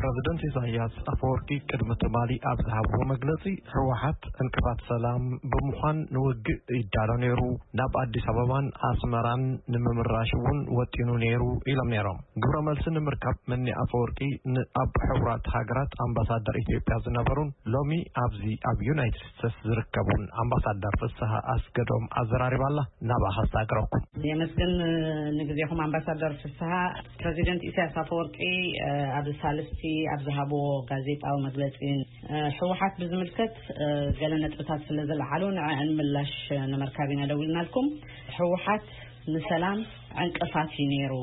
ፕረዚደንት ኢሳያስ ኣፈወርቂ ቅድሚ ትማሊ ኣብ ዝሃብዎ መግለጺ፣ ህወሓት ዕንቅፋት ሰላም ብምዃን ንውግእ ይዳሎ ነይሩ፣ ናብ ኣዲስ ኣበባን ኣስመራን ንምምራሽ እውን ወጢኑ ነይሩ ኢሎም ነይሮም። ግብረ መልሲ ንምርካብ መኒ ኣፈወርቂ ንኣብ ሕቡራት ሃገራት ኣምባሳደር ኢትዮጵያ ዝነበሩን ሎሚ ኣብዚ ኣብ ዩናይትድ ስቴትስ ዝርከቡን ኣምባሳደር ፍስሃ ኣስገዶም ኣዘራሪባላ። ናብኣ ከሳግረኩም። የመስግን ንግዜኹም ኣምባሳደር ፍስሃ። ፕረዚደንት ኢሳያስ ኣፈወርቂ ኣብ ሳልስቲ ኣብ ዝሃብዎ ጋዜጣዊ መግለጺ፣ ህወሓት ብዝምልከት ገለ ነጥብታት ስለ ዝለዓሉ ንዕአን ምላሽ ንምርካብ ኢና ደዊልናልኩም። ህወሓት ንሰላም ዕንቅፋት እዩ ነይሩ፣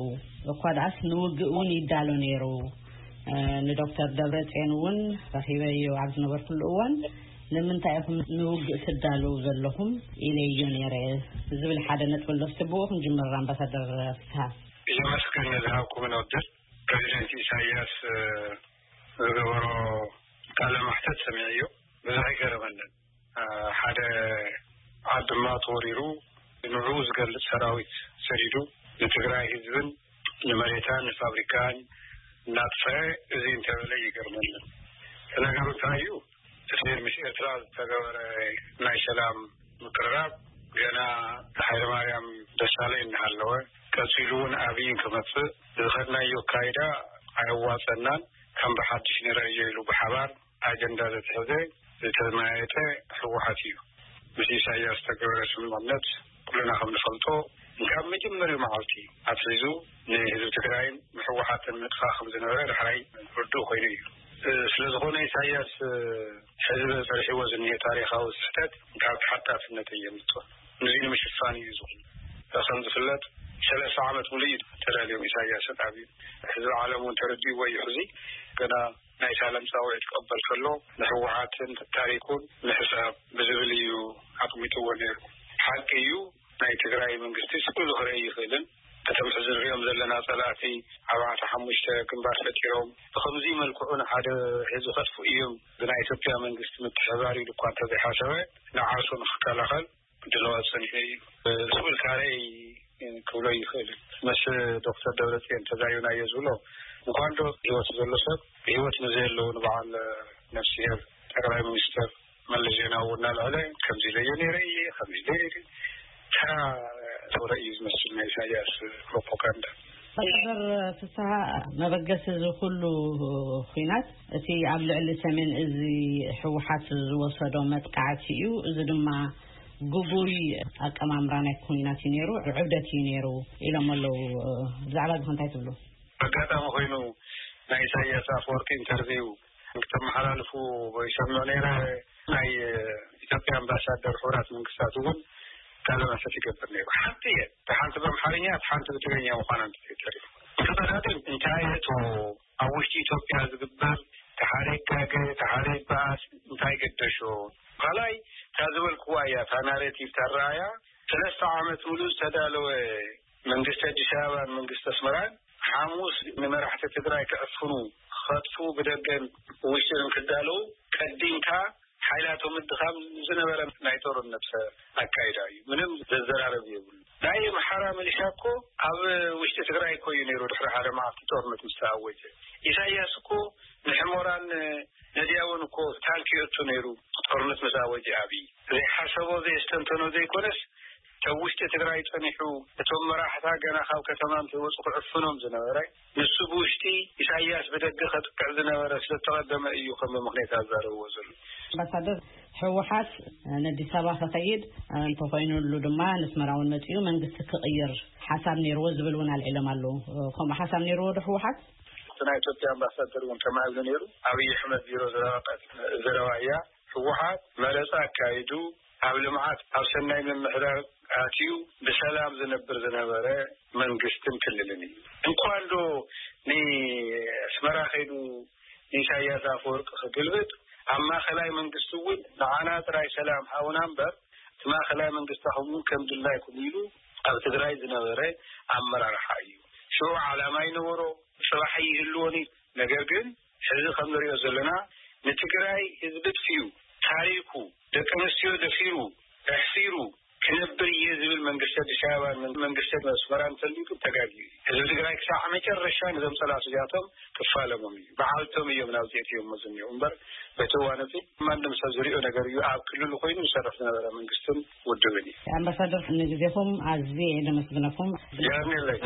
እኳ ደኣስ ንውግእ እውን ይዳሎ ነይሩ። ንዶክተር ደብረጽዮን እውን ረኺበዮ ኣብ ዝነበርኩሉ እዋን፣ ንምንታይ ኢኹም ንውግእ ትዳለዉ ዘለኹም ኢለዮ ነይረ ዝብል ሓደ ነጥቢ ኣሎ። እስቲ ብኡ ክንጅምር ኣምባሳደር ፍስሃ። የመስግን ንዝሃብኩምን ዕድል። ፕረዚደንት ኢሳያስ ዝገበሮ ቃለ መሕተት ሰሚዐዮ፣ ብዙሕ ኣይገረመንን። ሓደ ዓዲ ድማ ተወሪሩ ንዕኡ ዝገልጽ ሰራዊት ሰዲዱ ንትግራይ ህዝብን ንመሬታን ንፋብሪካን እናጥፈአ፣ እዚ እንተበለ ይገርመኒ። እቲ ነገሩ እንታይ እዩ? እቲ ምስ ኤርትራ ዝተገበረ ናይ ሰላም ምቅርራብ ገና ሃይለማርያም ደሳለኝ እናሃለወ፣ ቀጺሉ እውን ኣብይ ክመጽእ ዝኸድናዮ ኣካይዳ ኣየዋጸናን፣ ከም ብሓድሽ ንርእዮ ኢሉ ብሓባር ኣጀንዳ ዘትሐዘ ዝተመያየጠ ህወሓት እዩ። ምስ ኢሳያስ ዝተገበረ ስምምዕነት ኩልና ከም ንፈልጦ፣ ካብ መጀመርያኡ መዓልቲ ኣትሒዙ ንህዝቢ ትግራይን ንህወሓትን ምጥፋእ ከም ዝነበረ ዳሕራይ ርዱእ ኮይኑ እዩ። ስለ ዝኾነ ኢሳያስ ሕዚ በፂሕዎ ዝኒሀ ታሪኻዊ ስሕተት ካብ ተሓታትነት የምልጦ። ንዚ ንምሽፋን እዩ ዝኹን። ከም ዝፍለጥ ሰለስተ ዓመት ሙሉእ እዩ ተዳልዮም ኢሳያስን ኣብዩ። ህዝቢ ዓለም እውን ተረዲእዎ እዩ። ሕዚ ገና ናይ ሳለም ፃውዒት ክቕበል ከሎ ንህወሓትን ታሪኩን ንሕሳብ ብዝብል እዩ ኣቕሚጥዎ ነይሩ። ሓቂ እዩ፣ ናይ ትግራይ መንግስቲ ስእሉ ክርኢ ይኽእልን፣ እቶም ሕዚ ንሪኦም ዘለና ፀላእቲ ኣርባዕተ ሓሙሽተ ግንባር ፈጢሮም ብኸምዚ መልክዑ ንሓደ ህዝቢ ከጥፍኡ እዮም ብናይ ኢትዮጵያ መንግስቲ ምትሕባር ኢሉ እኳ እንተዘይሓሰበ፣ ንዓርሱ ንክከላኸል ድለዋ ጸኒሑ እዩ ዝብል ካልኣይ ክብሎ ይኽእል። ምስ ዶክተር ደብረጽዮን ተዛሪብናዮ ዝብሎ፣ እንኳን ዶ ህይወቱ ዘሎ ሰብ፣ ህይወት ንዘየለዉ ንበዓል ነፍስሄር ጠቅላይ ሚኒስትር መለስ ዜናዊ እናልዐለ፣ ከምዚ ኢለዮ ነይረ እየ፣ ከምዚ ኢለ ነይረ፣ ተራ ወረ እዩ ዝመስል ናይ ኢሳያስ ፕሮፓጋንዳ። ኣምባሳደር ፍስሃ፣ መበገሲ እዚ ኩሉ ኹናት እቲ ኣብ ልዕሊ ሰሜን እዚ ህወሓት ዝወሰዶ መጥቃዕቲ እዩ። እዚ ድማ ግጉይ ኣቀማምራ ናይ ኩናት እዩ ነይሩ፣ ዕብደት እዩ ነይሩ ኢሎም ኣለዉ። ብዛዕባ እዚ እንታይ ትብሉ? ኣጋጣሚ ኮይኑ ናይ ኢሳያስ ኣፈወርቂ ኢንተርቪው ክተመሓላልፉ ይሰምዕ ነይረ። ናይ ኢትዮጵያ ኣምባሳደር ሕቡራት መንግስታት እውን ቃለ መሕትት ይገብር ነይሩ። ሓንቲ እየ፣ እታ ሓንቲ ብኣምሓርኛ፣ እታ ሓንቲ ብትግርኛ ምዃና እንተዘይተሪፉ። እቲ ቀዳድም እንታይ እቶ ኣብ ውሽጢ ኢትዮጵያ ዝግበር ተሓደ ይጋገ፣ ተሓደ ይበኣስ እንታይ ገደሾ? ካልኣይ፣ እታ ዝበልክዋ እያ፣ እታ ናሬቲቭ፣ እታ ረኣያ፣ ሰለስተ ዓመት ሙሉእ ዝተዳለወ መንግስቲ ኣዲስ ኣበባን መንግስቲ ኣስመራን ሓሙስ ንመራሕቲ ትግራይ ክዕፍኑ፣ ክኸጥፉ፣ ብደገን ውሽጥን ክዳለዉ ቀዲምካ ሓይላቶም ምድኻም ዝነበረ ናይ ጦርነት ኣካይዳ እዩ። ምንም ዘዘራረብ የብሉ። ናይ ኣምሓራ ሚሊሻ እኮ ኣብ ውሽጢ ትግራይ እኮ እዩ ነይሩ። ድሕሪ ሓደ መዓልቲ ጦርነት ምስ ተኣወጀ፣ ኢሳያስ እኮ ንሕሞራን ነድያቦን እኮ ታንክ የእቱ ነይሩ። ጦርነት ምስ ኣወጀ ኣብይ ዘይሓሰቦ ዘየስተንተኖ ዘይኮነስ፣ ካብ ውሽጢ ትግራይ ጸኒሑ እቶም መራሕታ ገና ካብ ከተማ እንተይወጹ ክዕፍኖም ዝነበረ፣ ንሱ ብውሽጢ ኢሳያስ ብደገ ከጥቅዕ ዝነበረ ስለተቐደመ እዩ ከም ምኽንያት ኣዛረብዎ ዘሎ። ኣምባሳደር፣ ህወሓት ንኣዲስ ኣበባ ክኸይድ እንተኾይኑሉ ድማ ንስመራ እውን መጺኡ መንግስቲ ክቕይር ሓሳብ ነይርዎ ዝብል እውን ኣልዒሎም ኣለዉ። ከምኡ ሓሳብ ነይርዎ ዶ ህወሓት? እቲ ናይ ኢትዮጵያ ኣምባሳደር እውን ከማይ ኢሉ ነይሩ። ኣብይ ኣሕመድ ቢሮ ዘረባ ቀ-፣ ዘረባ እያ። ህወሓት መረፃ ኣካይዱ ኣብ ልምዓት ኣብ ሰናይ ምምሕዳር ኣትዩ ብሰላም ዝነብር ዝነበረ መንግስትን ክልልን እዩ። እንኳን ዶ ንኣስመራ ከይዱ ንኢሳያስ ኣፈወርቂ ክግልብጥ፣ ኣብ ማእኸላይ መንግስቲ እውን ንዓና ጥራይ ሰላም ሃቡና እምበር እቲ ማእኸላይ መንግስታኹም እውን ከም ድላይኩም ኢሉ ኣብ ትግራይ ዝነበረ ኣመራርሓ እዩ። ሽዑ ዓላማ ይነበሮ፣ ፅባሕ ይህልዎን እዩ። ነገር ግን ሕዚ ከም ንሪኦ ዘለና ንትግራይ ህዝቢ ጥፊኡ፣ ታሪኩ፣ ደቂ ኣንስትዮ ደፊሩ፣ ኣሕሲሩ፣ ክነብር እየ ዝብል መንግስቲ ኣዲስ ኣበባን መንግስቲ ኣስመራን እንተልዩ ግን ተጋግዩ እዩ። ህዝቢ ትግራይ ክሳዕ መጨረሻ ነዞም ጸላእቱ እዚኣቶም ክፋለሞም እዩ። በዓልቶም እዮም ናብዚ እትዮም መዝንዮ እምበር በቲ እዋን እዚ ማንም ሰብ ዝሪኦ ነገር እዩ። ኣብ ክልሉ ኮይኑ ዝሰርሕ ዝነበረ መንግስትን ውድብን እዩ። ኣምባሳደር፣ ንግዜኹም ኣዝየ እየ ዘመስግነኩም። ያርኔለይ።